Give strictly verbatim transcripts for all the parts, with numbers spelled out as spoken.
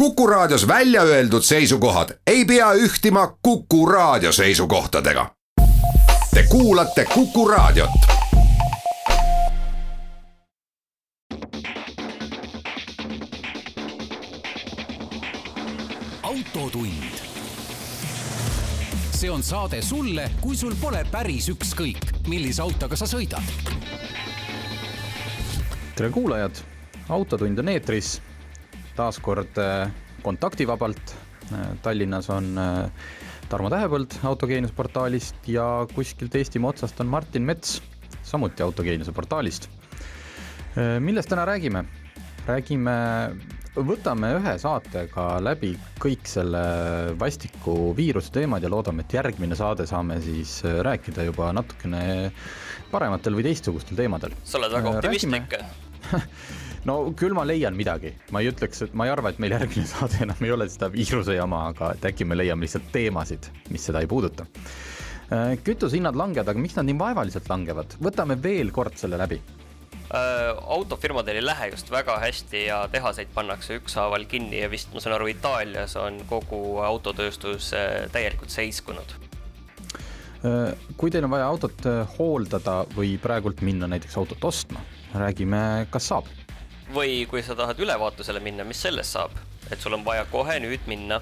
Kuku Raadios välja öeldud seisukohad ei pea ühtima Kuku Raadio seisukohtadega. Te kuulate Kuku Raadiot. Autotund. See on saade sulle, kui sul pole päris ükskõik, millise autoga sa sõidad. Tere kuulajad, Autotund on eetris. Taas kord kontaktivabalt. Tallinnas on Tarmo Tähepõld Autogeeniuse portaalist ja kuskilt Eestimaa otsast on Martin Mets, samuti Autogeeniuse portaalist. Millest täna räägime? Räägime, võtame ühe saatega läbi kõik selle vastiku viiruse teemad ja loodame, et järgmine saade saame siis rääkida juba natukene parematel või teistsugustel teemadel. Sa oled väga optimistlik. No küll ma leian midagi. Ma ei ütleks, et ma ei arva, et meil järgmine saade enam ei ole seda viiruse jama, aga et äkki me leiame lihtsalt teemasid, mis seda ei puuduta. Kütushinnad langevad, aga miks nad nii vaevaliselt langevad? Võtame veel kord selle läbi. Autofirmadel ei lähe just väga hästi ja tehaseid pannakse ükshaaval kinni ja vist ma saan aru, Itaalias on kogu autotööstus täielikult seiskunud. Kui teil on vaja autot hooldada või praegult minna näiteks autot ostma, räägime, kas saab? Või kui sa tahad ülevaatusele minna, mis sellest saab? Et sul on vaja kohe nüüd minna.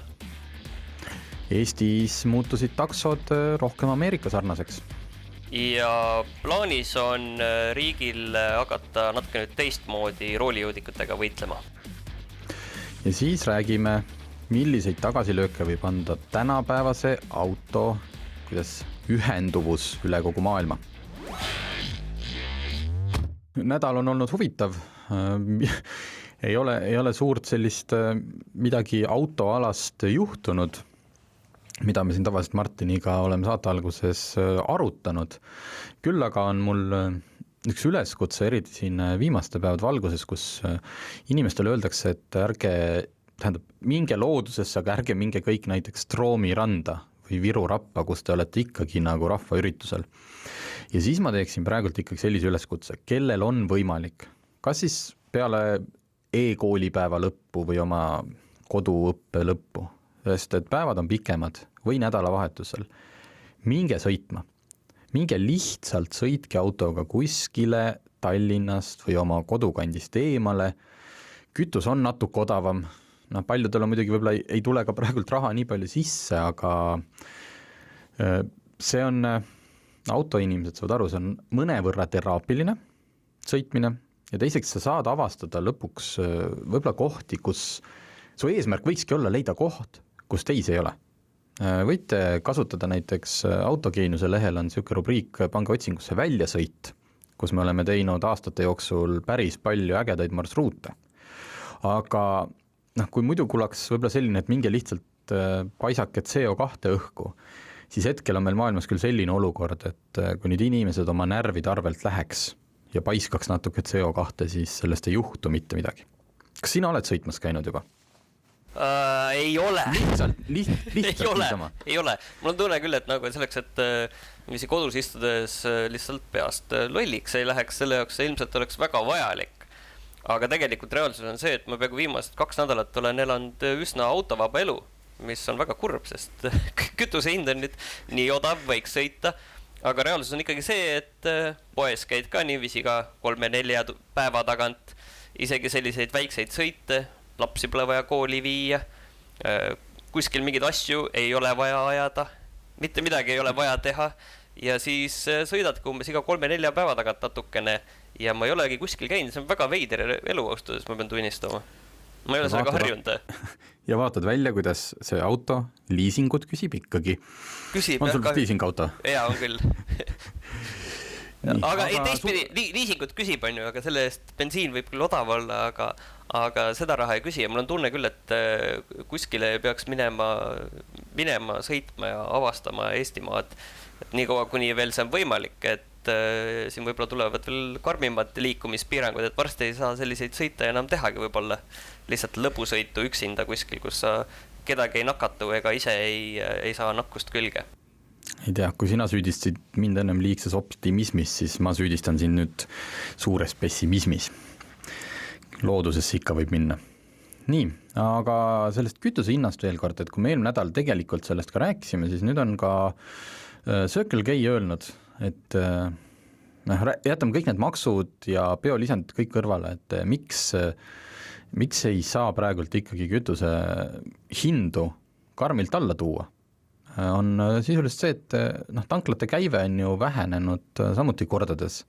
Eestis muutusid taksod rohkem Ameerika sarnaseks. Ja plaanis on riigil hakata natuke nüüd teistmoodi roolijoodikutega võitlema. Ja siis räägime, milliseid tagasilööke võib anda tänapäevase auto, kuidas ühenduvus üle kogu maailma. Nädal on olnud huvitav. ei ole, ei ole suurt sellist midagi autoalast juhtunud, mida me siin tavaliselt Martiniga oleme saate alguses arutanud. Küll aga on mul üks üleskutse eriti siin viimaste päevad valguses, kus inimestele öeldakse, et ärge, tähendab, minge loodusesse, aga ärge minge kõik näiteks Troomi randa või Viru rappa, kus te olete ikkagi nagu rahvaüritusel. Ja siis ma teeksin praegult ikkagi sellise üleskutse, kellel on võimalik, kas siis peale e-koolipäeva lõppu või oma koduõppe lõppu, sest et päevad on pikemad või nädalavahetusel, minge sõitma. Minge lihtsalt sõitke autoga kuskile Tallinnast või oma kodukandist eemale. Kütus on natuke odavam. No, paljudel on muidugi võib-olla ei tule ka praegult raha nii palju sisse, aga see on, autoinimesed saavad aru, see on mõnevõrra teraapiline sõitmine ja teiseks sa saad avastada lõpuks võib-olla kohti, kus su eesmärk võikski olla leida koht, kus teisi ei ole. Võite kasutada näiteks Autogeeniuse lehel on selline rubriik Pange otsingusse väljasõit, kus me oleme teinud aastate jooksul päris palju ägedaid marsruute. Aga noh, kui muidu kulaks võib-olla selline, et minge lihtsalt paisake C O kahe õhku, siis hetkel on meil maailmas küll selline olukord, et kui nüüd inimesed oma närvide arvelt läheks ja paiskaks natuke C O kahe, siis sellest ei juhtu mitte midagi. Kas sina oled sõitmas käinud juba? Uh, ei ole. Lihtsalt, liht, lihtsalt ei ole, niisama. Ei ole. Mul on tunne küll, et nagu selleks, et uh, kodus istudes uh, lihtsalt peast uh, lolliks ei läheks, selle jaoks see ilmselt oleks väga vajalik. Aga tegelikult reaalsus on see, et ma peaaegu viimased kaks nädalat olen elanud üsna autovaba elu, mis on väga kurb, sest kütuse hind on nüüd nii odav, võiks sõita. Aga reaalsus on ikkagi see, et poes käid ka niiviisi ka kolme-nelja päeva tagant, isegi selliseid väikseid sõite, lapsi pole vaja kooli viia, kuskil mingid asju ei ole vaja ajada, mitte midagi ei ole vaja teha ja siis sõidadki umbes iga kolme-nelja päeva tagant natukene ja ma ei olegi kuskil käinud, see on väga veider elu austades, ma pean tunnistama. Ma ei ole sellega harjunud. Ja vaatad välja, kuidas see auto liisingut küsib ikkagi. Küsib, on sul ka... liisingauto? Jaa, on küll. Nii, aga, aga ei teistpidi, su... liisingut küsib, on ju, aga selle eest bensiin võib küll odav olla, aga, aga seda raha ei küsi ja mul on tunne küll, et kuskile peaks minema, minema, sõitma ja avastama Eestimaad, et nii kaua, kuni veel see on võimalik, et äh, siin võib-olla tulevad veel karmimad liikumispiirangud, et varsti ei saa selliseid sõita enam tehagi võib-olla lihtsalt lõbusõitu üksinda kuskil, kus sa kedagi ei nakatu ega ise ei, ei saa nakkust külge. Ei tea, kui sina süüdistasid mind ennem liigses optimismis, siis ma süüdistan siin nüüd suures pessimismis. Loodusesse ikka võib minna. nii, aga sellest kütuse hinnast veel kord, et kui me eelmine nädal tegelikult sellest ka rääkisime, siis nüüd on ka Circle K öelnud, et noh, jätame kõik need maksud ja biolisandid kõik kõrvale, et miks, miks ei saa praegult ikkagi kütuse hindu karmilt alla tuua. On sisuliselt see, et noh, tanklate käive on ju vähenenud samuti kordades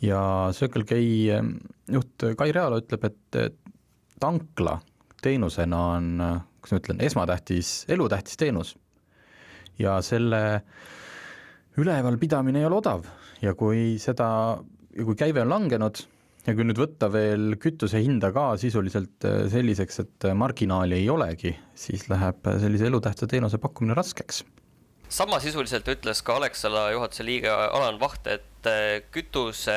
ja Circle K juht Kai Realo ütleb, et tankla teenusena on, kuidas ma ütlen, esmatähtis, elutähtis teenus ja selle üleval pidamine ei ole odav ja kui seda, ja kui käive on langenud ja kui nüüd võtta veel kütuse hinda ka sisuliselt selliseks, et marginaali ei olegi, siis läheb sellise elutähtsa teenuse pakkumine raskeks. Sama sisuliselt ütles ka Alexela juhatuse liige Alan Vaht, et kütuse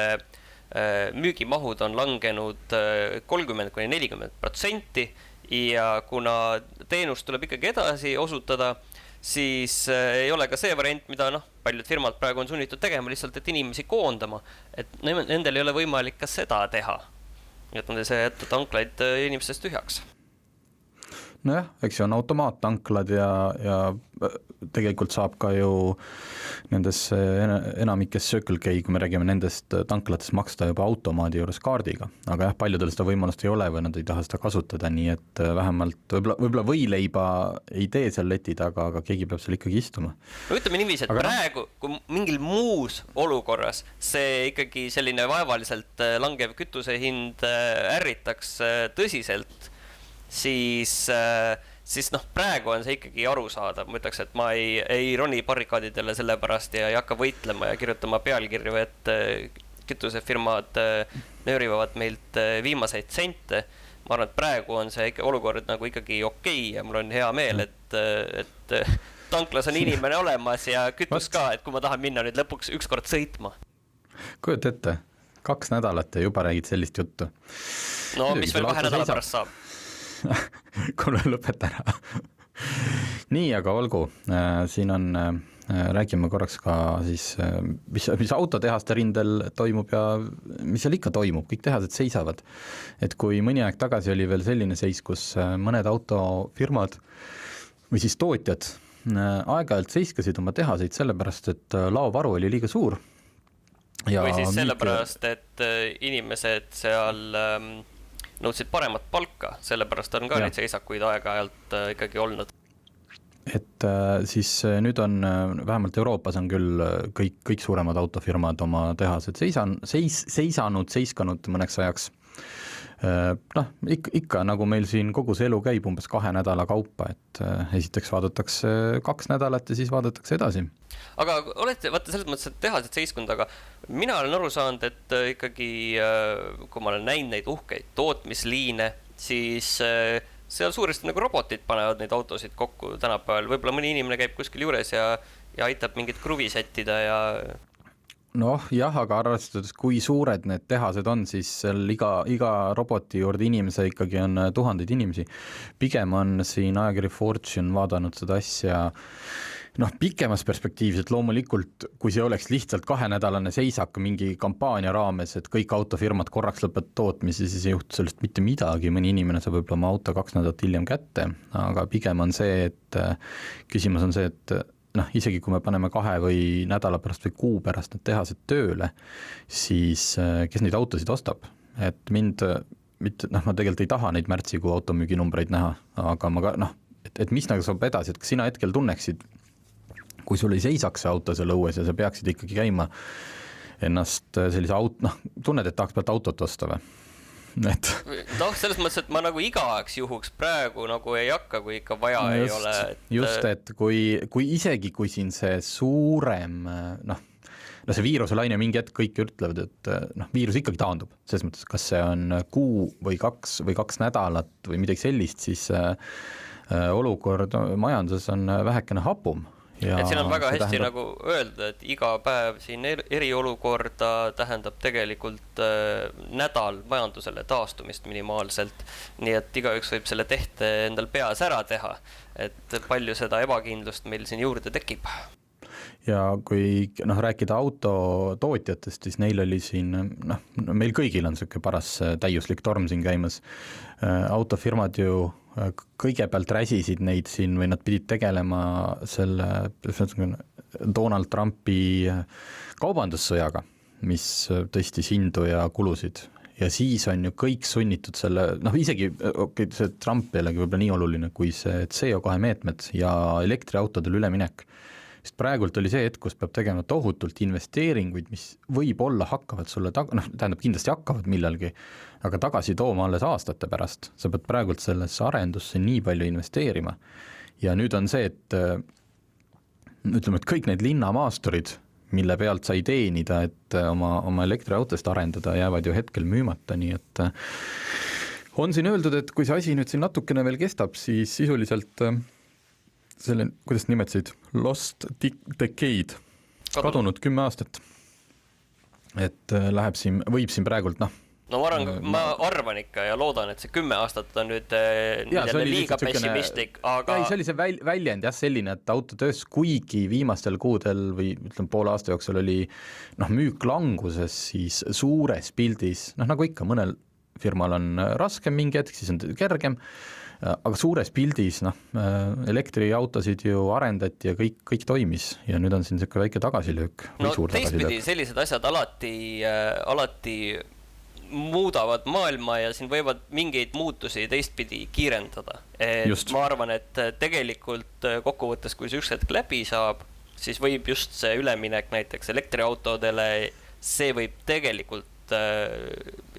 müügimahud on langenud kolmkümmend kuni nelikümmend protsenti ja kuna teenust tuleb ikkagi edasi osutada, siis ei ole ka see variant, mida noh, paljud firmad praegu on sunnitud tegema lihtsalt, et inimesi koondama, et nendel ei ole võimalik ka seda teha. Et nad ei saa jätta tanklaid inimestest tühjaks. Nojah, eks see on automaattanklad ja, ja tegelikult saab ka ju nendes enamikes Circle K, kui me räägime nendest tanklatest maksta juba automaadi juures kaardiga, aga jah, paljudel seda võimalust ei ole või nad ei taha seda kasutada, nii et vähemalt võib-olla, võib-olla võileiba ei tee seal leti taga, aga keegi peab seal ikkagi istuma. No ütleme niiviisi, et aga praegu, kui mingil muus olukorras see ikkagi selline vaevaliselt langev kütuse hind ärritaks tõsiselt, siis, siis noh, praegu on see ikkagi arusaadav. Ma ütleks, et ma ei, ei roni barrikaadidele selle pärast ja ei hakka võitlema ja kirjutama pealkirju, et kütusefirmad nöörivad meilt viimaseid sente. Ma arvan, et praegu on see ikka olukord nagu ikkagi okei ja mul on hea meel, et, et tanklas on inimene olemas ja kütus ka, et kui ma tahan minna nüüd lõpuks ükskord sõitma. Kujut ette, kaks nädalat ja juba räägid sellist juttu. No mis veel kahe nädala pärast saab? Kuule, lõpeta ära. Nii, aga olgu, siin on, räägime korraks ka siis, mis, mis autotehaste rindel toimub ja mis seal ikka toimub, kõik tehased seisavad. Et kui mõni aeg tagasi oli veel selline seis, kus mõned autofirmad või siis tootjad aeg-ajalt seiskasid oma tehaseid sellepärast, et laovaru oli liiga suur. Ja või siis sellepärast, et inimesed seal nõudsid paremat palka, sellepärast on ka ja. Neid seisakuid aeg-ajalt ikkagi olnud. Et siis nüüd on, vähemalt Euroopas on küll kõik, kõik suuremad autofirmad oma tehased seisan, seis, seisanud, seiskanud mõneks ajaks. Noh, ikka, ikka nagu meil siin kogu see elu käib umbes kahe nädala kaupa, et esiteks vaadatakse kaks nädalat ja siis vaadatakse edasi. Aga olete, vaata selles mõttes, et tehased seiskund, aga mina olen aru saanud, et ikkagi, kui ma olen näinud neid uhkeid tootmisliine, siis seal suuresti nagu robotid panevad neid autosid kokku tänapäeval. Võib-olla mõni inimene käib kuskil juures ja, ja aitab mingit kruvi sättida ja... Noh, jah, aga arvestades, kui suured need tehased on, siis seal iga, iga roboti juurde inimese ikkagi on tuhandeid inimesi. Pigem on siin ajakiri Fortune vaadanud seda asja noh, pikemas perspektiivis, et loomulikult, kui see oleks lihtsalt kahenädalane seisak mingi kampaania raames, et kõik autofirmad korraks lõpet tootmisi, siis ei juhtu sellest mitte midagi, mõni inimene saab võib-olla oma auto kaks nädalat hiljem kätte, aga pigem on see, et küsimus on see, et noh, isegi kui me paneme kahe või nädala pärast või kuu pärast need tehased tööle, siis kes neid autosid ostab? Et mind, mitte, noh, ma tegelikult ei taha neid märtsikuu automüüginumbreid näha, aga ma ka, noh, et, et mis nagu saab edasi, et kas sina hetkel tunneksid, kui sul ei seisaks see auto seal õues ja sa peaksid ikkagi käima ennast sellise aut-, noh, tunned, et tahaks pealt autot osta või? Et... noh, selles mõttes, et ma nagu igaks juhuks praegu nagu ei hakka, kui ikka vaja no just, ei ole. Et... just, et kui, kui isegi kui siin see suurem, noh, no see viiruselaine mingi hetk kõik ütlevad, et noh, viirus ikkagi taandub. Selles mõttes, kas see on kuu või kaks või kaks nädalat või midagi sellist, siis äh, olukord majanduses on vähekene hapum. Ja et siin on väga hästi tähendab... nagu öelda, et iga päev siin eriolukorda tähendab tegelikult äh, nädal majandusele taastumist minimaalselt, nii et igaüks võib selle tehte endal peas ära teha, et palju seda ebakindlust meil siin juurde tekib. ja kui noh, rääkida autotootjatest, siis neil oli siin, noh, meil kõigil on selline paras täiuslik torm siin käimas. Autofirmad ju kõigepealt räsisid neid siin või nad pidid tegelema selle Donald Trumpi kaubandussõjaga, mis tõstis hindu ja kulusid. Ja siis on ju kõik sunnitud selle, noh isegi okay, see Trump jällegi võib-olla nii oluline kui see C O kahe meetmed ja elektriautodel üleminek. Sest praegult oli see hetk, kus peab tegema tohutult investeeringuid, mis võib-olla hakkavad sulle, tag- noh tähendab kindlasti hakkavad millalgi, aga tagasi tooma alles aastate pärast. Sa pead praegult sellesse arendusse nii palju investeerima. Ja nüüd on see, et ütleme, et kõik need linnamaasturid, mille pealt sai teenida, et oma, oma elektriautost arendada, jäävad ju hetkel müümata, nii et on siin öeldud, et kui see asi nüüd siin natukene veel kestab, siis sisuliselt selle, kuidas nimetasid, lost decade, kadunud kümme aastat, et läheb siin, võib siin praegult, noh, no ma arvan, ma arvan ikka ja loodan, et see kümme aastat on nüüd ja, liiga pessimistlik, aga... Ei, see oli see väl, väljend jah selline, et autotöös kuigi viimastel kuudel või ütleme poole aasta jooksul oli noh, müük languses, siis suures pildis, noh nagu ikka, mõnel firmal on raskem mingi hetk, siis on kergem, aga suures pildis noh, elektriautosid ju arendati ja kõik, kõik toimis ja nüüd on siin selline väike tagasilöök. No teistpidi sellised asjad alati, alati muudavad maailma ja siin võivad mingeid muutusi teistpidi kiirendada. Et ma arvan, et tegelikult kokkuvõttes, kui see üks hetk läbi saab, siis võib just see üleminek näiteks elektriautodele, see võib tegelikult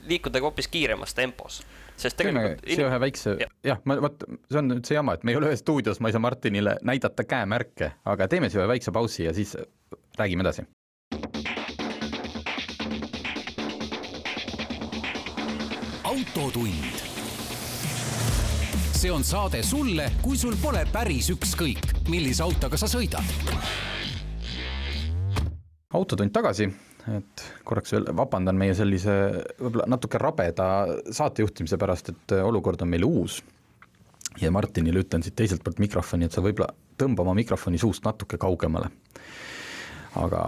liikuda hoopis kiiremas tempos. Sest tegelikult... See ühe väikse, jah, ja, ma, võt, see on nüüd see jama, et me ei ole ühes stuudios, ma ei saa Martinile näidata käemärke, aga teeme see ühe väikse pausi ja siis räägime edasi. Autotund. See on saade sulle, kui sul pole päris ükskõik, millise autoga sa sõidad. Autotund tagasi, et korraks veel vabandan meie sellise võib-olla natuke rabeda saatejuhtimise pärast, et olukord on meil uus. Ja Martinile ütlen siit teiselt poolt mikrofoni, et sa võib-olla tõmba oma mikrofoni suust natuke kaugemale. Aga...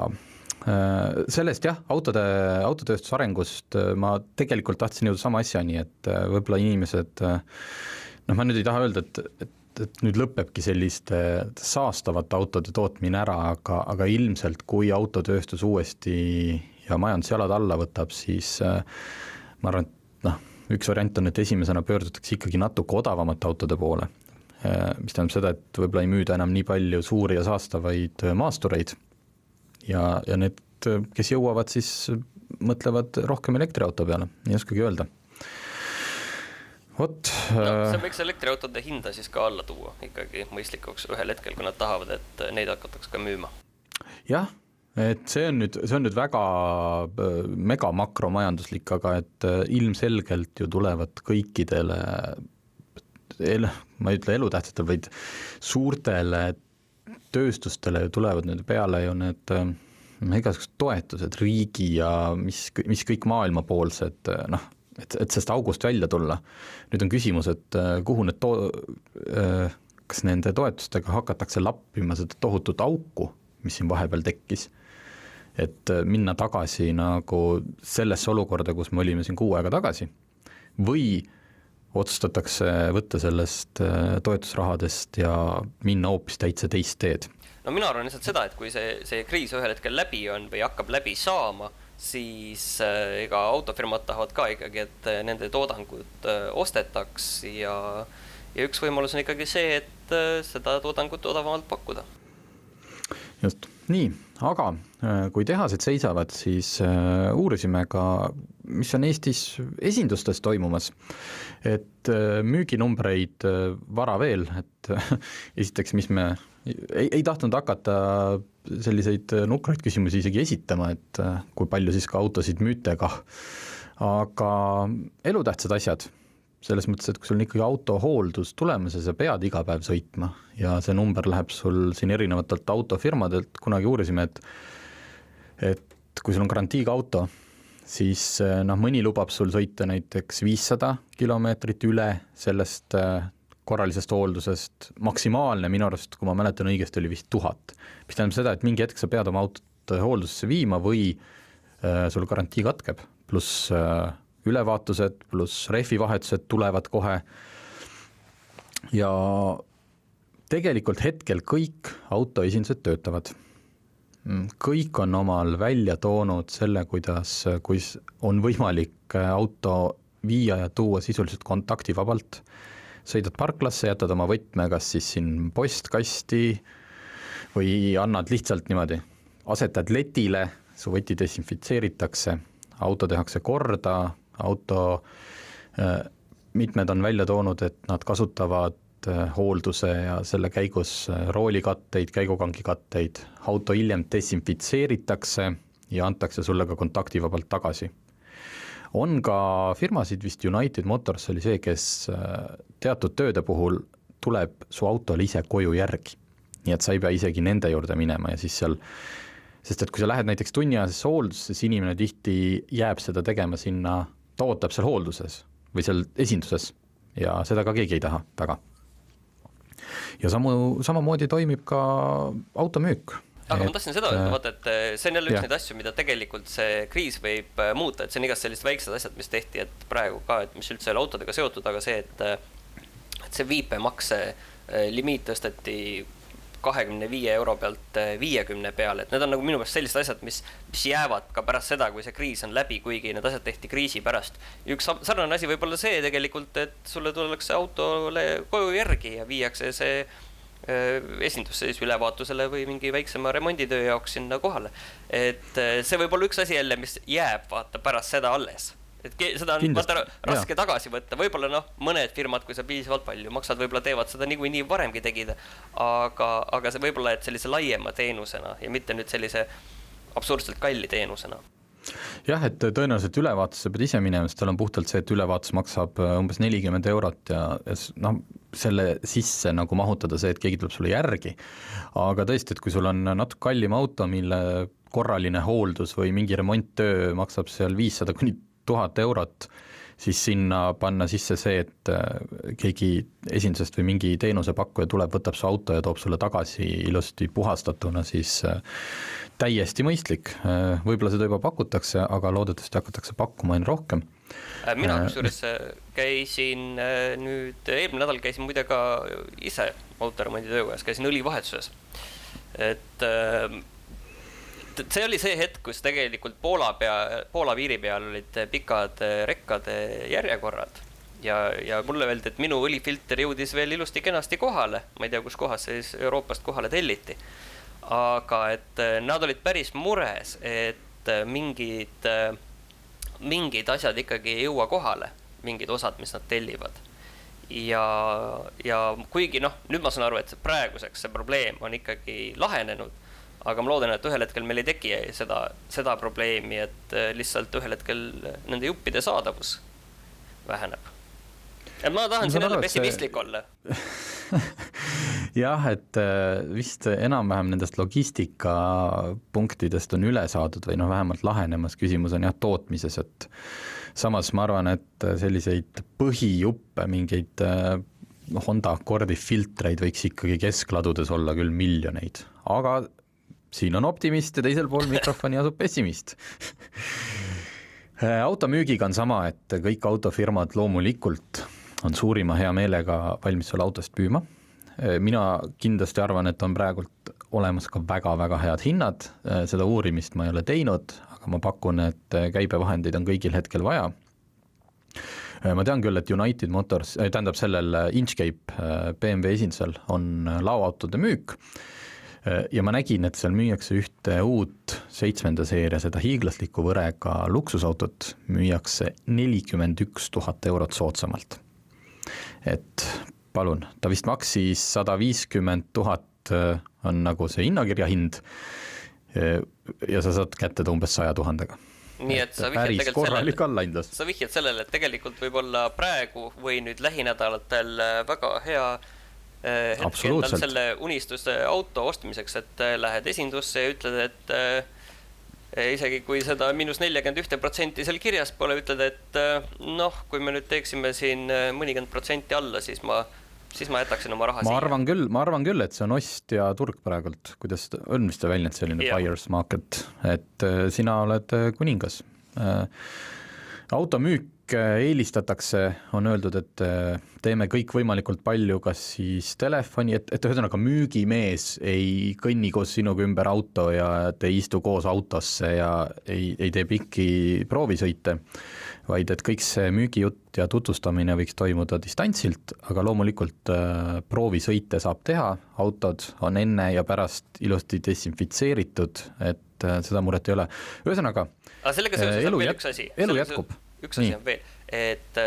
sellest jah, autode, autotööstuse arengust ma tegelikult tahtsin jõuda sama asjani, et võib-olla inimesed, noh ma nüüd ei taha öelda, et, et, et nüüd lõpebki selliste saastavate autode tootmine ära, aga, aga ilmselt kui autotööstus uuesti ja majandusjalad alla võtab, siis ma arvan, et noh, üks variant on, et esimesena pöördutakse ikkagi natuke odavamate autode poole, mis tähendab seda, et võib-olla ei müüda enam nii palju suuri ja saastavaid maastureid, ja, ja need, kes jõuavad, siis mõtlevad rohkem elektriauto peale, ei oskagi öelda. Vot, no, see võiks elektriautode hinda siis ka alla tuua ikkagi mõistlikuks ühel hetkel, kui nad tahavad, et neid hakataks ka müüma. Jah, et see on nüüd, see on nüüd väga mega makromajanduslik, aga et ilmselgelt ju tulevad kõikidele, ma ei ütle elutähtsatel, vaid suurtele tööstustele tulevad nüüd peale ju need igasugused toetused, riigi ja mis, mis kõik maailmapoolsed, noh, et, et sest august välja tulla. Nüüd on küsimus, et kuhu need to-, kas nende toetustega hakatakse lappima seda tohutut auku, mis siin vahepeal tekkis, et minna tagasi nagu sellesse olukorda, kus me olime siin kuu aega tagasi, või otsustatakse võtta sellest toetusrahadest ja minna hoopis täitsa teist teed. No mina arvan lihtsalt seda, et kui see, see kriis ühel hetkel läbi on või hakkab läbi saama, siis ega autofirmad tahavad ka ikkagi, et nende toodangud ostetaks ja, ja üks võimalus on ikkagi see, et seda toodangut odavamalt pakkuda. Just, nii, aga kui tehased seisavad, siis uurisime ka, mis on Eestis esindustes toimumas, et müüginumbreid vara veel, et esiteks, mis me ei, ei tahtnud hakata selliseid nukraid küsimusi isegi esitama, et kui palju siis ka autosid müütega, aga elutähtsad asjad, selles mõttes, et kui sul on ikkagi autohooldus tulemas ja sa pead iga päev sõitma ja see number läheb sul siin erinevatelt autofirmadelt, kunagi uurisime, et, et kui sul on garantiiga auto, siis noh, mõni lubab sul sõita näiteks viissada kilomeetrit üle sellest korralisest hooldusest, maksimaalne minu arust, kui ma mäletan õigesti, oli vist tuhat. Mis tähendab seda, et mingi hetk sa pead oma autot hooldusesse viima või äh, sul garantii katkeb, pluss äh, ülevaatused, pluss rehvivahetused tulevad kohe. Ja tegelikult hetkel kõik autoesindused töötavad. Kõik on omal välja toonud selle, kuidas kui on võimalik auto viia ja tuua sisuliselt kontaktivabalt. Sõidad parklasse, jätad oma võtme kas siis siin postkasti või annad lihtsalt niimoodi, asetad letile, su võti desinfitseeritakse, auto tehakse korda, auto mitmed on välja toonud, et nad kasutavad hoolduse ja selle käigus roolikatteid, käigukangi katteid, auto hiljem desinfitseeritakse ja antakse sulle ka kontaktivabalt tagasi. On ka firmasid, vist United Motors oli see, kes teatud tööde puhul tuleb su autole ise koju järgi. Nii et sa ei pea isegi nende juurde minema ja siis seal, sest et kui sa lähed näiteks tunniajasesse hooldusse, siis inimene tihti jääb seda tegema sinna, ta ootab seal hoolduses või seal esinduses ja seda ka keegi ei taha väga. Ja samu, samamoodi toimib ka automüük. Aga et, ma tahtsin seda öelda, vaata, et see on jälle üks jah. Neid asju, mida tegelikult see kriis võib muuta, et see on igast sellised väiksed asjad, mis tehti, et praegu ka, et mis üldse autodega seotud, aga see, et, et see viipemakse limiit tõsteti kahekümne viie euro pealt viiekümne peale, et need on nagu minu pärast sellised asjad, mis, mis jäävad ka pärast seda, kui see kriis on läbi, kuigi need asjad tehti kriisi pärast. Üks sarnane asi võib olla see tegelikult, et sulle tullakse autole koju järgi ja viiakse see esindusse siis ülevaatusele või mingi väiksema remonditöö jaoks sinna kohale. Et see võib olla üks asi jälle, mis jääb vaata pärast seda alles. Et seda on vaata, raske ja. Tagasi võtta, võib-olla noh, mõned firmad, kui sa piisavalt palju maksad, võib-olla teevad seda nii või nii varemgi tegida, aga, aga see võib-olla, et sellise laiema teenusena ja mitte nüüd sellise absurdselt kalli teenusena. Jah, et tõenäoliselt ülevaatusse pead ise minema, sest tal on puhtalt see, et ülevaatus maksab umbes nelikümmend eurot ja, ja no, selle sisse nagu mahutada see, et keegi tuleb sulle järgi. Aga tõesti, et kui sul on natuke kallim auto, mille korraline hooldus või mingi remonttöö maksab seal viissada kuni tuhat eurot, siis sinna panna sisse see, et keegi esindusest või mingi teenusepakkuja tuleb, võtab su auto ja toob sulle tagasi ilusti puhastatuna, siis täiesti mõistlik. Võib-olla seda juba pakutakse, aga loodetavasti hakatakse pakkuma aina rohkem. Mina kusjuures käisin nüüd, eelmine nädal käisin muide ka ise autoremondi töökojas, käisin õlivahetuses. Et see oli see hetk, kus tegelikult Poola, pea, Poola piiri peal olid pikad rekkade järjekorrad ja, ja mulle öeldi, et minu õlifilter jõudis veel ilusti kenasti kohale. Ma ei tea, kus kohas siis Euroopast kohale telliti. Aga et nad olid päris mures, et mingid, mingid asjad ikkagi ei jõua kohale, mingid osad, mis nad tellivad. Ja, ja kuigi noh, nüüd ma saan aru, et praeguseks see probleem on ikkagi lahenenud, aga ma loodan, et ühel hetkel meil ei teki seda, seda probleemi, et lihtsalt ühel hetkel nende juppide saadavus väheneb. Et ma tahan siin jälle pessimistlik see... olla. Jah, et vist enam-vähem nendest logistika punktidest on üle saadud või noh, vähemalt lahenemas. Küsimus on jah tootmises, et samas ma arvan, et selliseid põhijuppe, mingeid Honda Accordi filtreid võiks ikkagi keskladudes olla küll miljoneid, aga siin on optimist ja teisel pool mikrofoni asub pessimist. Automüügiga on sama, et kõik autofirmad loomulikult on suurima hea meelega valmis selle autost püüma. Mina kindlasti arvan, et on praegult olemas ka väga-väga head hinnad. Seda uurimist ma ei ole teinud, aga ma pakun, et käibevahendeid on kõigil hetkel vaja. Ma tean küll, et United Motors, tähendab sellel Inchcape B M W esindusel on lauaautode müük. Ja ma nägin, et seal müüakse ühte uut seitsmenda seeria, seda hiiglasliku võrega luksusautot müüakse nelikümmend üks tuhat eurot soodsamalt. Et palun, ta vist maksis sada viiskümmend tuhat on nagu see hinnakirja hind ja sa saad kätte ta umbes saja tuhandega. Nii et, et sa vihjad sellele, sa vihjad sellele, et tegelikult võib olla praegu või nüüd lähinädalatel väga hea hetkel tal selle unistuse auto ostmiseks, et lähed esindusse ja ütled, et äh, isegi kui seda miinus nelikümmend üks protsenti seal kirjas pole, ütled, et äh, noh, kui me nüüd teeksime siin mõnikümmend protsenti alla, siis ma siis ma jätaksin oma raha ma siia. arvan küll, ma arvan küll, et see on ostja turg praegult, kuidas on vist väljend selline ja. Buyer's market, et sina oled kuningas. Automüük eelistatakse, on öeldud, et teeme kõik võimalikult palju, kas siis telefoni, et, et ühesõnaga müügimees ei kõnni koos sinuga ümber auto ja te ei istu koos autosse ja ei, ei tee pikki proovisõite, vaid et kõik see müügijutt ja tutvustamine võiks toimuda distantsilt, aga loomulikult äh, proovisõite saab teha, autod on enne ja pärast ilusti desinfitseeritud, et äh, seda muret ei ole. Ühesõnaga, aga sellega seoses on veel jät... üks asi. Elu jätkub. Üks asi on veel, et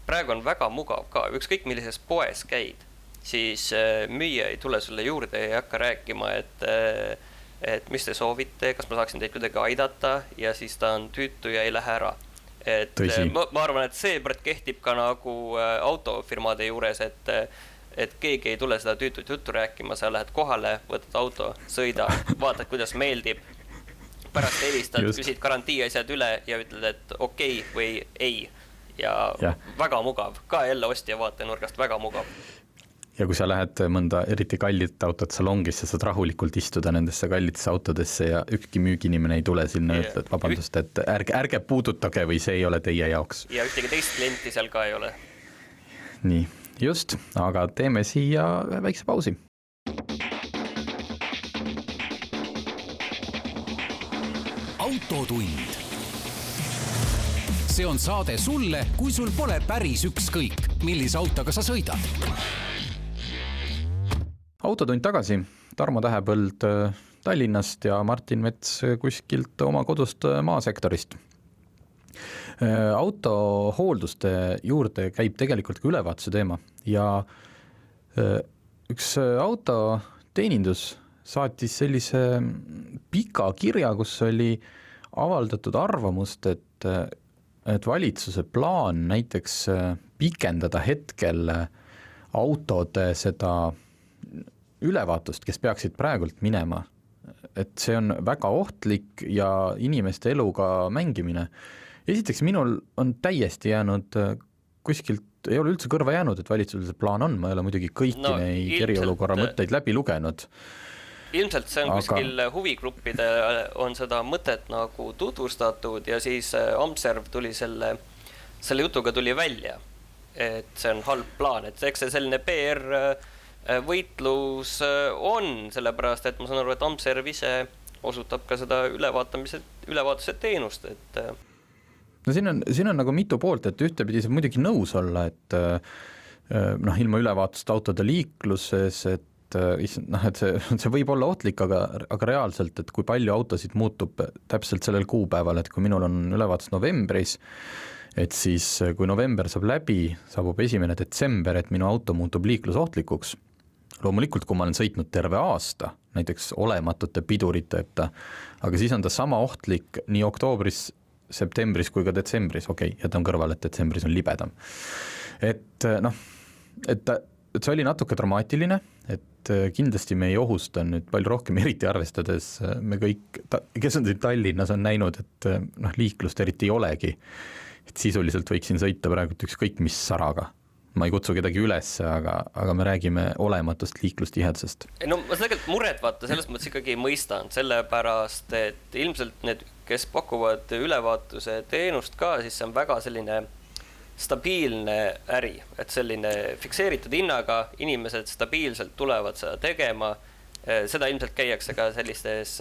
praegu on väga mugav ka, ükskõik millises poes käid, siis müüja ei tule sulle juurde ja ei hakka rääkima, et, et mis te soovite, kas ma saaksin teid kuidagi aidata ja siis ta on tüütu ja ei lähe ära. Et ma, ma arvan, et see kehtib ka nagu autofirmade juures, et, et keegi ei tule seda tüütut juttu rääkima, sa lähed kohale, võtad auto, sõida, vaatad, kuidas meeldib. Pärast helistad, küsid garantii asjad üle ja ütled, et okei okay või ei. Ja, ja väga mugav, ka jälle ostja vaatenurgast väga mugav. Ja kui sa lähed mõnda eriti kallit autot salongisse, saad rahulikult istuda nendesse kallitesse autodesse ja ükski müüginimene ei tule sinna ja ütled, vabandust, et ärge, ärge puudutage või see ei ole teie jaoks. Ja ühtegi teist klienti seal ka ei ole. Nii, just, aga teeme siia väikse pausi. Autotund. See on saade sulle, kui sul pole päris ükskõik, millise autoga sa sõidad. Autotund tagasi, Tarmo Tähepõld Tallinnast ja Martin Mets kuskilt oma kodust maasektorist. Autohoolduste juurde käib tegelikult ka ülevaatuse teema ja üks autoteenindus saatis sellise pika kirja, kus oli avaldatud arvamust, et, et valitsuse plaan näiteks pikendada hetkel autode seda ülevaatust, kes peaksid praegult minema, et see on väga ohtlik ja inimeste eluga mängimine. Esiteks minul on täiesti jäänud kuskilt, ei ole üldse kõrva jäänud, et valitsusel see plaan on, ma ei ole muidugi kõiki no, neid eriolukorra mõtteid läbi lugenud. Ilmselt see on aga... kuskil huvigruppide on seda mõtet nagu tutvustatud ja siis Amserv tuli selle, selle jutuga tuli välja, et see on halb plaan, et eks see selline P R võitlus on, sellepärast, et ma saan aru, et Amserv ise osutab ka seda ülevaatamise, ülevaatuse teenust, et no siin on, siin on nagu mitu poolt, et ühtepidi saab muidugi nõus olla, et noh, ilma ülevaatust autode liikluses, et noh, et see, see võib olla ohtlik, aga, aga reaalselt, et kui palju autosid muutub täpselt sellel kuupäeval, et kui minul on ülevaatus novembris, et siis kui november saab läbi, saabub esimene detsember, et minu auto muutub liiklusohtlikuks. Loomulikult, kui ma olen sõitnud terve aasta, näiteks olematute piduriteta, aga siis on ta sama ohtlik nii oktoobris, septembris kui ka detsembris, okei, okay, jätan kõrval, et detsembris on libedam. Et noh, et, et see oli natuke dramaatiline, et kindlasti me ei ohusta nüüd palju rohkem, eriti arvestades me kõik, kes on siin Tallinnas, on näinud, et noh, liiklust eriti ei olegi. Et sisuliselt võiksin sõita praegu ükskõik mis saraga. Ma ei kutsu kedagi üles, aga, aga me räägime olematust liiklustihedusest. No ma tegelikult muret vaata, selles mõttes ikkagi mõistan, sellepärast, et ilmselt need, kes pakuvad ülevaatuse teenust ka, siis see on väga selline stabiilne äri, et selline fikseeritud hinnaga inimesed stabiilselt tulevad seda tegema, seda ilmselt käiakse ka sellistes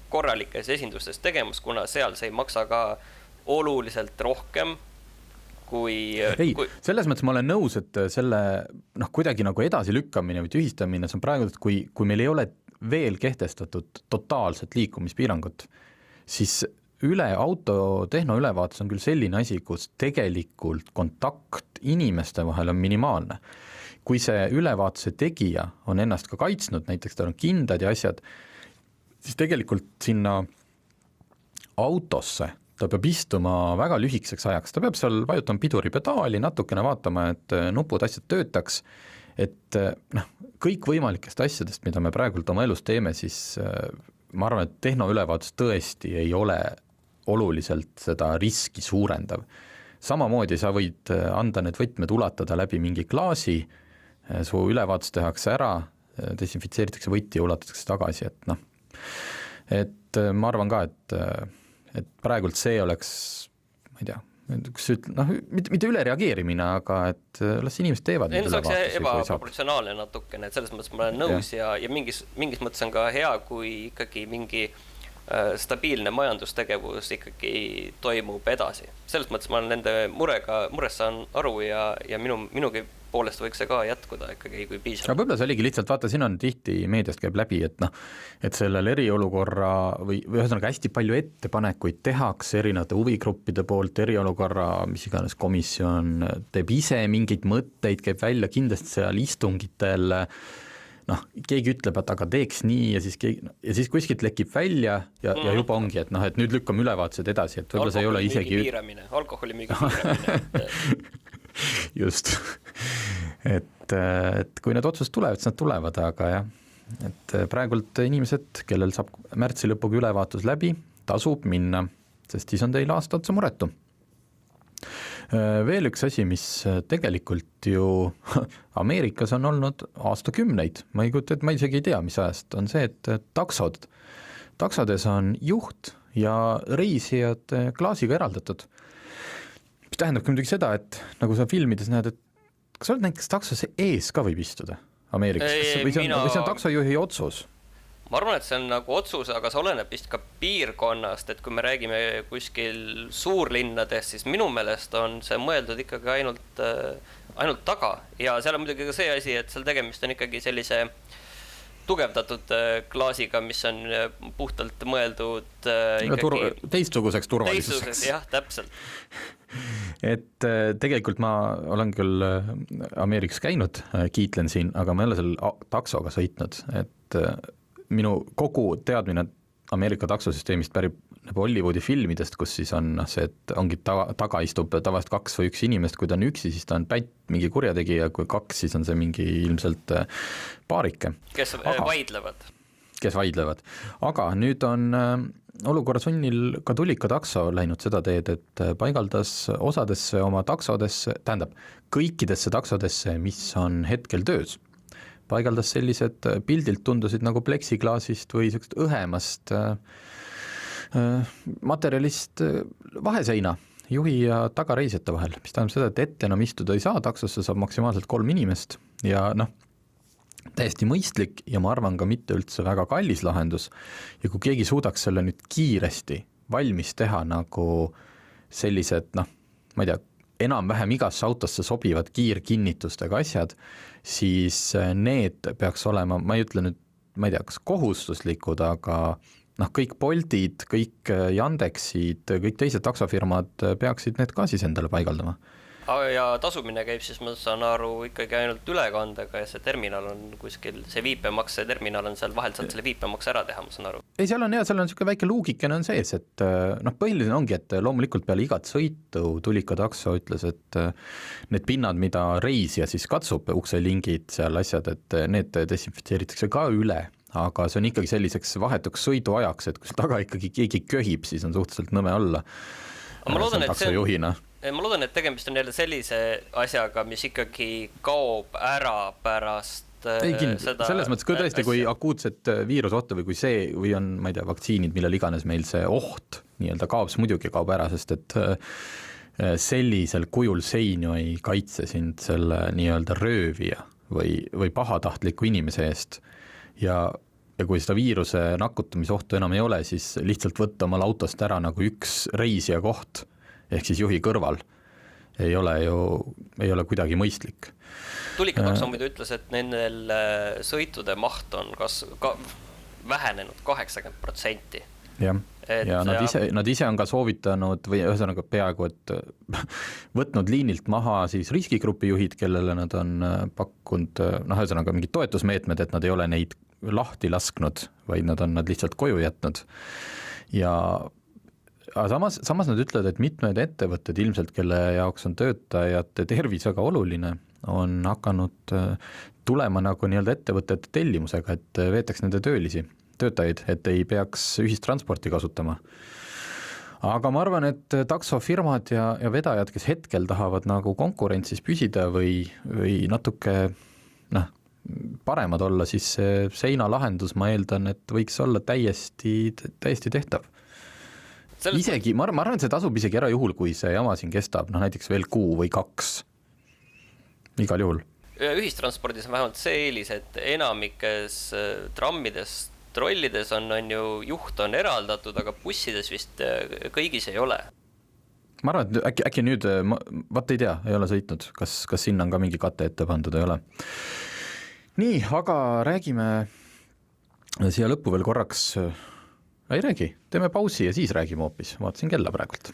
korralikes esindustes tegemas, kuna seal see ei maksa ka oluliselt rohkem kui... Ei, kui... selles mõttes ma olen nõus, et selle noh, kuidagi nagu edasi lükkamine või tühistamine, see on praegu, et kui, kui meil ei ole veel kehtestatud totaalset liikumispiirangut, siis üle auto tehnoülevaatus on küll selline asi, kus tegelikult kontakt inimeste vahel on minimaalne. Kui see ülevaatuse tegija on ennast ka kaitsnud, näiteks tal on kindad ja asjad, siis tegelikult sinna autosse ta peab istuma väga lühikeseks ajaks, ta peab seal vajutama piduripedaali, natukene vaatama, et nupud asjad töötaks, et noh, kõik võimalikest asjadest, mida me praegult oma elus teeme, siis ma arvan, et tehnoülevaatus tõesti ei ole oluliselt seda riski suurendav. Samamoodi sa võid anda need võtmed ulatada läbi mingi klaasi, su ülevaatus tehakse ära, desinfitseeritakse võti ja ulatatakse tagasi, et noh, et ma arvan ka, et, et praegult see oleks, ma ei tea, kus üt-, noh, mitte, mitte üle reageerimine, aga et las inimesed teevad need ülevaatusi. Ebaproportsionaalne natukene, et selles mõttes ma olen nõus ja, ja, ja mingis, mingis mõttes on ka hea, kui ikkagi mingi äh, stabiilne majandustegevus ikkagi toimub edasi. Selles mõttes ma olen nende murega, murest saan aru ja, ja minu, minugi poolest võiks see ka jätkuda ikkagi, kui piisab. Aga võib-olla see oligi lihtsalt, vaata, siin on tihti meediast käib läbi, et noh, et sellel eriolukorra või, või ühesõnaga hästi palju ettepanekuid tehakse erinevate huvigruppide poolt, eriolukorra, mis iganes komisjon teeb ise mingeid mõtteid, käib välja kindlasti seal istungitel, noh, keegi ütleb, et aga teeks nii ja siis, keegi, ja siis kuskilt lekib välja ja, mm. ja juba ongi, et noh, et nüüd lükkame ülevaatused edasi, et võib-olla see ei ole isegi alkoholi müügi piiramine just, et, et kui need otsused tulevad, siis nad tulevad, aga jah, et praegult inimesed, kellel saab märtsi lõpuga ülevaatus läbi, tasub minna, sest siis on teil aasta otsa muretu. Veel üks asi, mis tegelikult ju Ameerikas on olnud aastakümneid, ma ei kujuta, et ma isegi ei tea, mis ajast, on see, et taksod, taksodes on juht ja reisijad klaasiga eraldatud. Mis tähendabki muidugi seda, et nagu sa filmides näed, et kas sa oled näiteks taksos ees ka võib istuda Ameerikas? Või see on, mina... või see on taksojuhi otsus? Ma arvan, et see on nagu otsus, aga see oleneb vist ka piirkonnast, et kui me räägime kuskil suurlinnadest, siis minu meelest on see mõeldud ikkagi ainult, ainult taga. Ja seal on muidugi ka see asi, et seal tegemist on ikkagi sellise tugevdatud klaasiga, mis on puhtalt mõeldud ikkagi... Tur- teistsuguseks turvalisuseks. Teistsuguseks, jah, täpselt. Et tegelikult ma olen küll Ameerikas käinud, kiitlen siin, aga ma ei ole seal taksoga sõitnud, et minu kogu teadmine Ameerika taksosüsteemist pärib nagu Hollywoodi filmidest, kus siis on see, et ongi taga, taga istub tavaliselt kaks või üks inimest, kui ta on üksi, siis ta on pätt mingi kurjategija, kui kaks, siis on see mingi ilmselt paarike. Kes aga, vaidlevad. Kes vaidlevad. Aga nüüd on olukorra sunnil ka Tulika takso läinud seda teed, et paigaldas osadesse oma taksodesse, tähendab, kõikidesse taksodesse, mis on hetkel töös, paigaldas sellised pildilt tundusid nagu pleksiklaasist või sellisest õhemast materjalist vaheseina juhi ja tagareisjate vahel, mis tähendab seda, et ette enam istuda ei saa, taksosse saab maksimaalselt kolm inimest ja noh, täiesti mõistlik ja ma arvan ka mitte üldse väga kallis lahendus ja kui keegi suudaks selle nüüd kiiresti valmis teha nagu sellised, noh, ma ei tea, enam-vähem igasse autosse sobivad kiirkinnitustega asjad, siis need peaks olema, ma ei ütle nüüd, ma ei tea, kas kohustuslikud, aga noh, kõik Boltid, kõik Yandexid, kõik teised taksofirmad peaksid need ka siis endale paigaldama. Ja tasumine käib siis, ma saan aru, ikkagi ainult ülekandega ja see terminal on kuskil, see viipemakse terminal on seal vahelt, saad selle viipemakse ära teha, ma saan aru. Ei, seal on hea, seal on niisugune väike luugikene on sees, et noh, põhiline ongi, et loomulikult peale igat sõitu Tulika takso ütles, et need pinnad, mida reisija siis katsub, ukselingid, seal asjad, et need desinfitseeritakse ka üle, aga see on ikkagi selliseks vahetuks sõiduajaks, et kui taga ikkagi keegi köhib, siis on suhteliselt nõme olla. Ma loodan, et see, ma loodan, et tegemist on jälle sellise asjaga, mis ikkagi kaob ära pärast ei, kind, seda. Selles mõttes, kui tõesti, kui akuutset viirusohtu või kui see, või on, ma ei tea, vaktsiinid, millel iganes meil see oht nii-öelda kaob, see muidugi kaob ära, sest et sellisel kujul sein ju ei kaitse sind selle nii-öelda röövija või, või pahatahtliku inimese eest ja ja kui seda viiruse nakutamisohtu enam ei ole, siis lihtsalt võtta omal autost ära nagu üks reisija koht, ehk siis juhi kõrval, ei ole ju, ei ole kuidagi mõistlik. Tulika takso muidu ütles, et nendel sõitude maht on kas, ka, vähenenud kaheksakümmend protsenti. Jah, et, ja nad ise, nad ise on ka soovitanud või ühesõnaga peaaegu, et võtnud liinilt maha siis riskigrupi juhid, kellele nad on pakkunud, noh, ühesõnaga mingid toetusmeetmed, et nad ei ole neid lahti lasknud, vaid nad on nad lihtsalt koju jätnud. Ja samas, samas nad ütlevad, et mitmed ettevõtted ilmselt, kelle jaoks on töötajate tervis väga oluline, on hakanud tulema nagu nii-öelda ettevõtete tellimusega, et veetaks nende töölisi, töötajaid, et ei peaks ühistransporti kasutama. Aga ma arvan, et taksofirmad ja, ja vedajad, kes hetkel tahavad nagu konkurentsis püsida või, või natuke paremad olla, siis see seinalahendus, ma eeldan, et võiks olla täiesti, täiesti tehtav. Selles... Isegi, ma arvan, et see tasub isegi ära juhul, kui see jama siin kestab, noh näiteks veel kuu või kaks. Igal juhul. Ühistranspordis on vähemalt see eelis, et enamikes trammides, trollides on, on ju juht on eraldatud, aga bussides vist kõigis ei ole. Ma arvan, et äkki, äkki nüüd, ma, vaat ei tea, ei ole sõitnud, kas, kas sinna on ka mingi kate ette pandud, ei ole. Nii, aga räägime siia lõppu veel korraks, ei räägi, teeme pausi ja siis räägime hoopis, vaatasin kella praegult.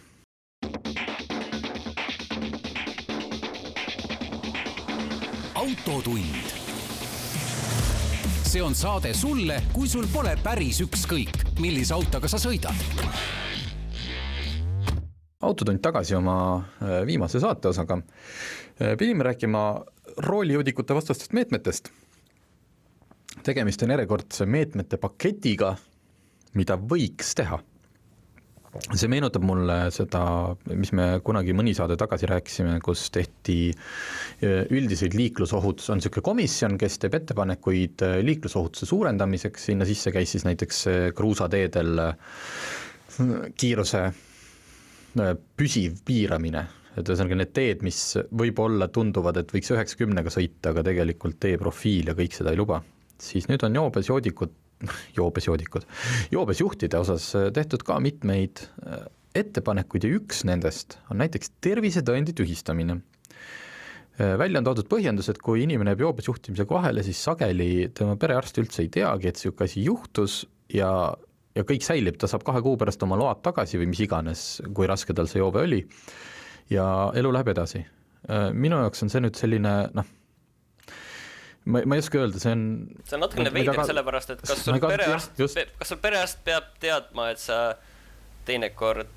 Autotund. See on saade sulle, kui sul pole päris ükskõik, millise autoga sa sõidad. Autotund tagasi oma viimase saate osaga. Pidime rääkima roolijoodikute vastastest meetmetest. Tegemist on järjekordse meetmete paketiga, mida võiks teha. See meenutab mulle seda, mis me kunagi mõni saade tagasi rääkisime, kus tehti üldiseid liiklusohutus, on selline komisjon, kes teeb ettepanekuid liiklusohutuse suurendamiseks, sinna sisse käis siis näiteks kruusateedel kiiruse püsiv piiramine, et ühesõnaga need teed, mis võib-olla tunduvad, et võiks üheksakümnega sõita, aga tegelikult tee profiil ja kõik seda ei luba, siis nüüd on joobes joodikud joobes joodikud, joobes juhtide osas tehtud ka mitmeid ettepanekuid ja üks nendest on näiteks tervisetõendi tühistamine. Välja on toodud põhjendus, et kui inimene jääb joobes juhtimisega vahele, siis sageli tema perearst üldse ei teagi, et see asi juhtus ja, ja kõik säilib, ta saab kahe kuu pärast oma load tagasi või mis iganes, kui raske tal see joobe oli ja elu läheb edasi. Minu jaoks on see nüüd selline, noh, Ma, ma ei oska öelda, see on... See on natukene veider ka... sellepärast, et kas sul, perearst, kas sul perearst peab teadma, et sa teinekord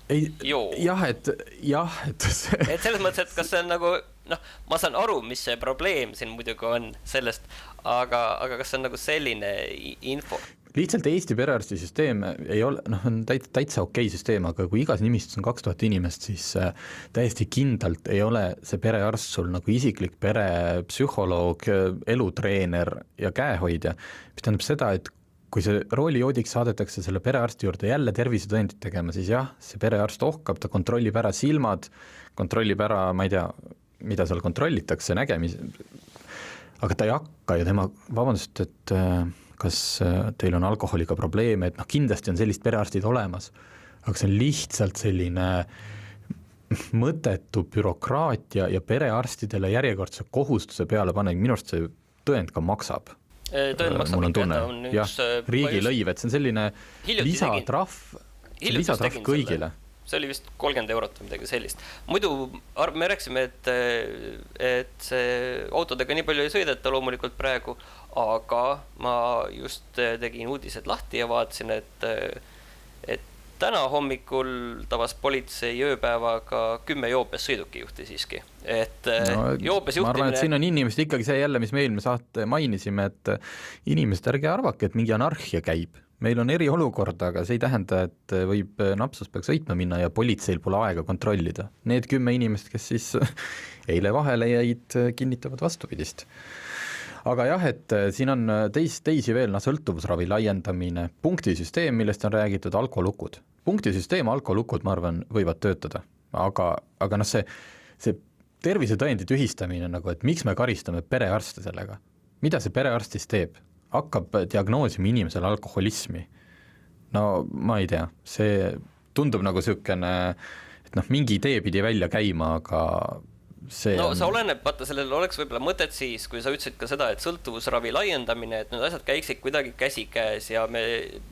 ei, joo? Jah, et... Jah, et, see... et selles mõttes, et kas see on nagu... Noh, ma saan aru, mis see probleem siin muidugi on sellest, aga, aga kas see on nagu selline info? Lihtsalt Eesti perearstisüsteem ei ole, noh, on täitsa, täitsa okei süsteem, aga kui igas nimistus on kaks tuhat inimest, siis täiesti kindlalt ei ole see perearst sul nagu isiklik perepsühholoog, elutreener ja käehoidja. Mis tähendab seda, et kui see roolijoodik saadetakse selle perearsti juurde jälle tervisetõendit tegema, siis jah, see perearst ohkab, ta kontrollib ära silmad, kontrollib ära, ma ei tea, mida seal kontrollitakse, nägemis, aga ta ei hakka ja tema, vabandust, et kas teil on alkoholiga probleeme, et noh, kindlasti on sellist perearstid olemas, aga see on lihtsalt selline mõttetu bürokraatia ja perearstidele järjekordse kohustuse peale paneb, minu arust see tõend ka maksab. Tõend maksab mul on tunne, jah, riigilõiv, et see on selline lisatrahv, lisatrahv kõigile. See oli vist kolmkümmend eurot või midagi sellist. Muidu me rääksime, et, et see autodega nii palju ei sõideta loomulikult praegu, aga ma just tegin uudised lahti ja vaatasin, et, et täna hommikul tabas politsei ööpäevaga kümme joobes sõidukijuhti siiski. Et no, joobes juhtimine... Ma arvan, et siin on inimesed ikkagi see jälle, mis me eelmine saate mainisime, et inimesed ärge arvake, et mingi anarhia käib. Meil on eriolukord, aga see ei tähenda, et võib napsus peaks sõitma minna ja politseil pole aega kontrollida. Need kümme inimest, kes siis eile vahele jäid, kinnitavad vastupidist. Aga jah, et siin on teis, teisi veel, no, sõltuvusravi laiendamine, punktisüsteem, millest on räägitud, alkolukud. Punktisüsteem, alkolukud, ma arvan, võivad töötada, aga, aga noh, see, see tervisetõendi tühistamine, nagu, et miks me karistame perearste sellega? Mida see perearstis teeb? Hakkab diagnoosima inimesele alkoholismi. No ma ei tea, see tundub nagu sükene, et noh, mingi idee pidi välja käima, aga see no on... sa oleneb, vaata, sellel oleks võib-olla mõtet siis, kui sa ütlesid ka seda, et sõltuvusravi laiendamine, et need asjad käiksid kuidagi käsikäes ja me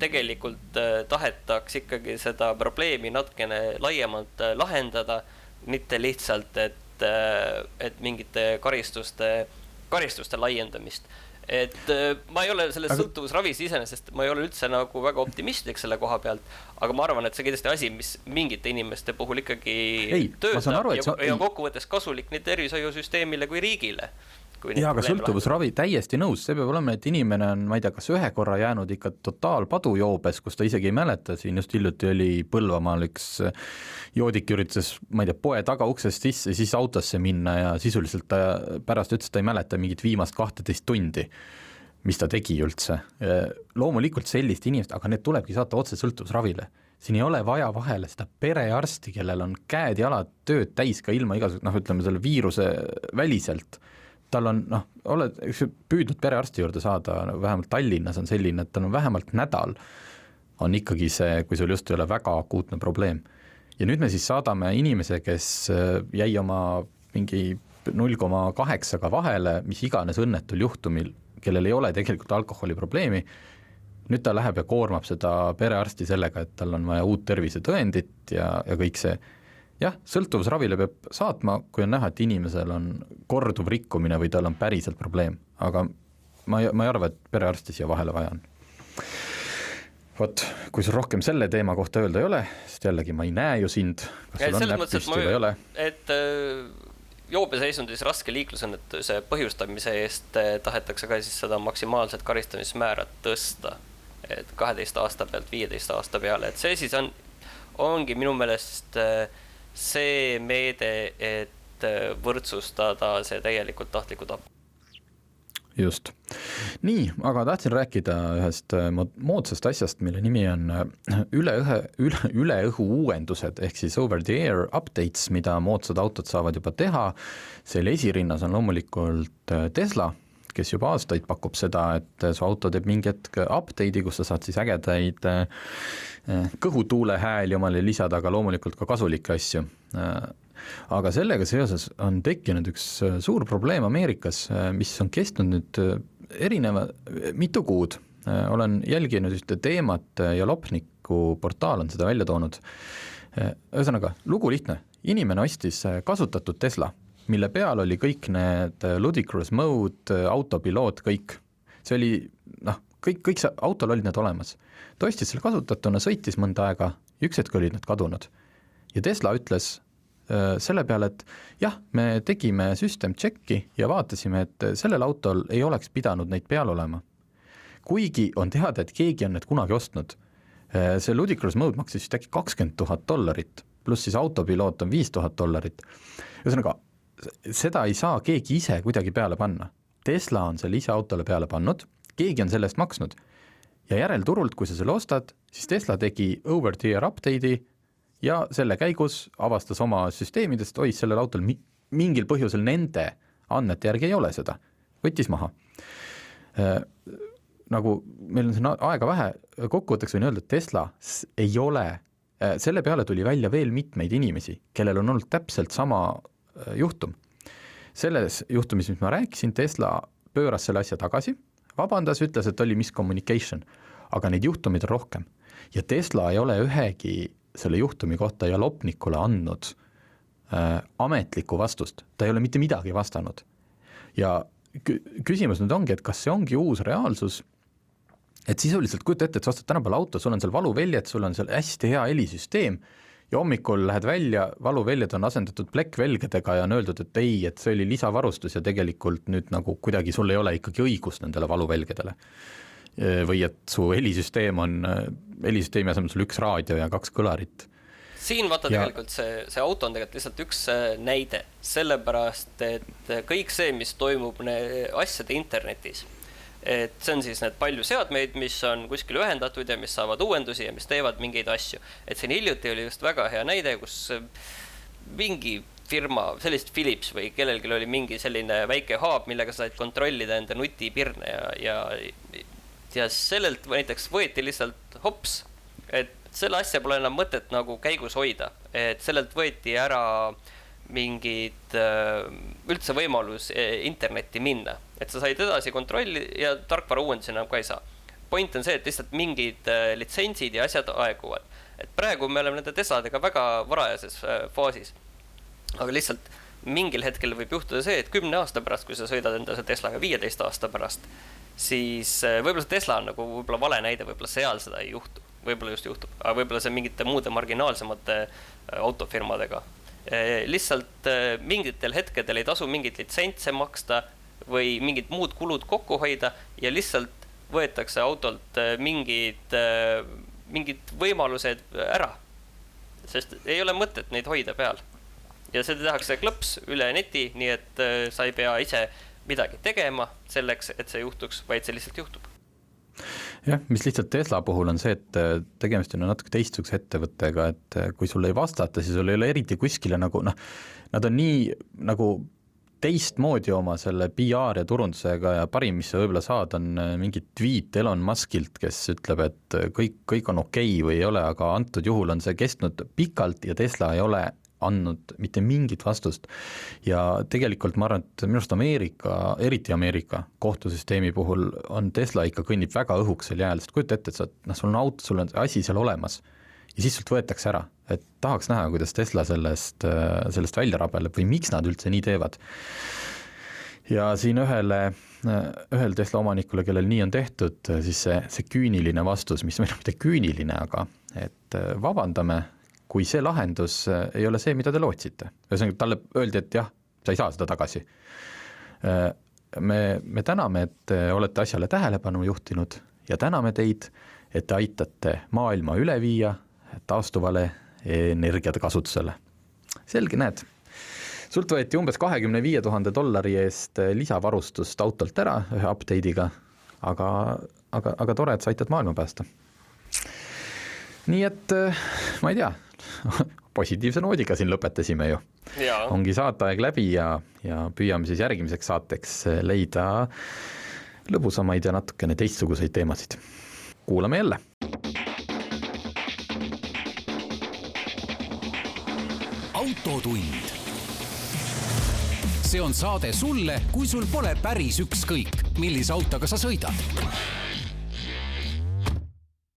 tegelikult tahetaks ikkagi seda probleemi natkene laiemalt lahendada, mitte lihtsalt, et, et mingite karistuste, karistuste laiendamist. Et ma ei ole selles aga... sõltuvusravis iseenesest, ma ei ole üldse nagu väga optimistlik selle koha pealt, aga ma arvan, et see kindlasti asi, mis mingite inimeste puhul ikkagi ei, töötab aru, ja, sa... ja kokkuvõttes kasulik nii tervishoiusüsteemile kui riigile. ja, aga sõltuvusravi täiesti nõus, see peab olema, et inimene on, ma ei tea, kas ühe korra jäänud ikka totaalpadujoobes, kus ta isegi ei mäleta, siin just hiljuti oli Põlvamaal üks joodik üritas, ma ei tea, poe taga uksest sisse, siis autosse minna ja sisuliselt ta pärast ütles, ta ei mäleta mingit viimast kahteteist tundi, mis ta tegi üldse. Loomulikult sellist inimest, aga need tulebki saata otse sõltuvusravile. Siin ei ole vaja vahele seda perearsti, kellel on käed ja jalad tööd täis ka ilma igasugust, noh, ütleme selle viiruse väliselt. Tal on, noh, oled püüdnud perearsti juurde saada, vähemalt Tallinnas on selline, et tal on vähemalt nädal, on ikkagi see, kui sul just ei ole väga akuutne probleem. Ja nüüd me siis saadame inimese, kes jäi oma mingi null koma kaheksaga vahele, mis iganes õnnetul juhtumil, kellel ei ole tegelikult alkoholiprobleemi, nüüd ta läheb ja koormab seda perearsti sellega, et tal on vaja uut tervisetõendit ja, ja kõik see. Jah, sõltuvusravile peab saatma, kui on näha, et inimesel on korduv rikkumine või tal on päriselt probleem, aga ma ei, ma ei arva, et perearsti siia vahele vaja on. Vot, kui sul rohkem selle teema kohta öelda ei ole, sest jällegi ma ei näe ju sind, kas sul on näppist või ei ole? Et joobeseisundis raske liiklusõnnetuse põhjustamise eest tahetakse ka siis seda maksimaalset karistamismäärat tõsta, et kaheteist aasta pealt viieteist aasta peale, et see siis on, ongi minu meelest see meede, et võrdsustada see tegelikult tahtliku tapp. Just. Nii, aga tahtsin rääkida ühest moodsast asjast, mille nimi on üle, üle, üle õhu uuendused, ehk siis over the air updates, mida moodsad autod saavad juba teha. Selle esirinnas on loomulikult Tesla, kes juba aastaid pakub seda, et su auto teeb mingi hetk update'i, kus sa saad siis ägedaid kõhutuule hääli omale lisada, aga loomulikult ka kasulikke asju. Aga sellega seoses on tekkinud üks suur probleem Ameerikas, mis on kestnud nüüd erineva mitu kuud. Olen jälginud ühte teemat ja Lopniku portaal on seda välja toonud. Ühesõnaga, lugu lihtne. Inimene ostis kasutatud Tesla, mille peal oli kõik need ludicrous mode, autopiloot, kõik. See oli, noh, kõik, kõik see autol olid need olemas. Ta ostis selle kasutatuna, sõitis mõnda aega, üks hetk olid need kadunud. Ja Tesla ütles selle peale, et jah, me tegime system checki ja vaatasime, et sellel autol ei oleks pidanud neid peal olema. Kuigi on teada, et keegi on need kunagi ostnud. See ludicrous mode maksis just äkki kakskümmend tuhat dollarit, pluss siis autopiloot on viis tuhat dollarit. Ühesõnaga, seda ei saa keegi ise kuidagi peale panna. Tesla on selle ise autole peale pannud, keegi on sellest maksnud. Ja järelturult, kui sa selle ostad, siis Tesla tegi over the air update'i ja selle käigus avastas oma süsteemidest, oi, sellel autol mingil põhjusel nende andmete järgi ei ole seda. Võttis maha. Nagu meil on siin aega vähe, kokkuvõtteks võin öelda, et Tesla ei ole, selle peale tuli välja veel mitmeid inimesi, kellel on olnud täpselt sama juhtum. Selles juhtumis, mis ma rääkisin, Tesla pööras selle asja tagasi, vabandas, ütles, et oli miscommunication, aga neid juhtumid on rohkem. Ja Tesla ei ole ühegi selle juhtumi kohta ja Lopnikule andnud äh, ametlikku vastust. Ta ei ole mitte midagi vastanud. Ja küsimus nüüd ongi, et kas see ongi uus reaalsus, et sisuliselt kujuta ette, et sa ostad tänapäeval auto, sul on seal valuväljad, sul on seal hästi hea helisüsteem ja hommikul lähed välja, valuväljad on asendatud plekkvelgedega ja on öeldud, et ei, et see oli lisavarustus ja tegelikult nüüd nagu kuidagi sul ei ole ikkagi õigust nendele valuvelgedele. Või et su helisüsteem on, helisüsteemi asemel sul üks raadio ja kaks kõlarit. Siin vaata ja tegelikult see, see auto on tegelikult lihtsalt üks näide, sellepärast, et kõik see, mis toimub asjade internetis, et see on siis need palju seadmeid, mis on kuskil ühendatud ja mis saavad uuendusi ja mis teevad mingeid asju. Et siin hiljuti oli just väga hea näide, kus mingi firma, sellist Philips või kellelgi oli mingi selline väike haab, millega said kontrollida enda nutipirne ja, ja ja sellelt näiteks võeti lihtsalt hops, et selle asja pole enam mõtet nagu käigus hoida, et sellelt võeti ära mingid üldse võimalus internetti minna, et sa said edasi kontrolli ja tarkvara uuendusi enam ka ei saa. Point on see, et lihtsalt mingid litsentsid ja asjad aeguvad, et praegu me oleme nende Tesladega väga varajases faasis, aga lihtsalt mingil hetkel võib juhtuda see, et kümne aasta pärast, kui sa sõidad endale Teslaga viieteist aasta pärast, siis võib-olla see Tesla on nagu võib-olla vale näide, võib-olla seal seda ei juhtu, võib-olla just juhtub, aga võib-olla see mingite muude marginaalsemate autofirmadega. Lihtsalt mingitel hetkedel ei tasu mingit litsentse maksta, või mingid muud kulud kokku hoida ja lihtsalt võetakse autolt mingid, mingid võimalused ära. Sest ei ole mõtet neid hoida peal. Ja seda tehakse klõps üle neti, nii et sa ei pea ise midagi tegema selleks, et see juhtuks, vaid see lihtsalt juhtub. Jah, mis lihtsalt Tesla puhul on see, et tegemist on natuke teistsuguse ettevõttega, et kui sul ei vastata, siis sul ei ole eriti kuskile nagu, noh, nad on nii nagu teistmoodi oma selle P R ja turundusega ja parim, mis sa võib-olla saad, on mingi tweet Elon Muskilt, kes ütleb, et kõik, kõik on okei või ei ole, aga antud juhul on see kestnud pikalt ja Tesla ei ole andnud mitte mingit vastust. Ja tegelikult ma arvan, et minu arust Ameerika, eriti Ameerika kohtusüsteemi puhul on Tesla ikka kõnnib väga õhuksel jääl, sest kujuta ette, et sa, noh, sul on auto, sul on asi seal olemas ja siis sult võetakse ära, et tahaks näha, kuidas Tesla sellest, sellest välja rabeleb või miks nad üldse nii teevad. Ja siin ühele, ühel Tesla omanikule, kellel nii on tehtud, siis see, see küüniline vastus, mis meil on mitte küüniline, aga et vabandame, kui see lahendus ei ole see, mida te lootsite. Ühesõnaga, talle öeldi, et jah, sa ei saa seda tagasi. Me, me täname, et olete asjale tähelepanu juhtinud ja täname teid, et te aitate maailma üle viia taastuvale energiate kasutusele. Selge, näed. Sult võeti umbes kahekümne viie tuhande dollari eest lisavarustust autolt ära ühe update'iga, aga, aga, aga tore, et sa aitad maailma päästa. Nii et ma ei tea, positiivse noodiga siin lõpetasime ju. Ja. Ongi saateaeg läbi ja, ja püüame siis järgmiseks saateks leida lõbusamaid ja natukene teistsuguseid teemasid. Kuulame jälle. Autotund. See on saade sulle, kui sul pole päris ükskõik, millise autoga sa sõidad.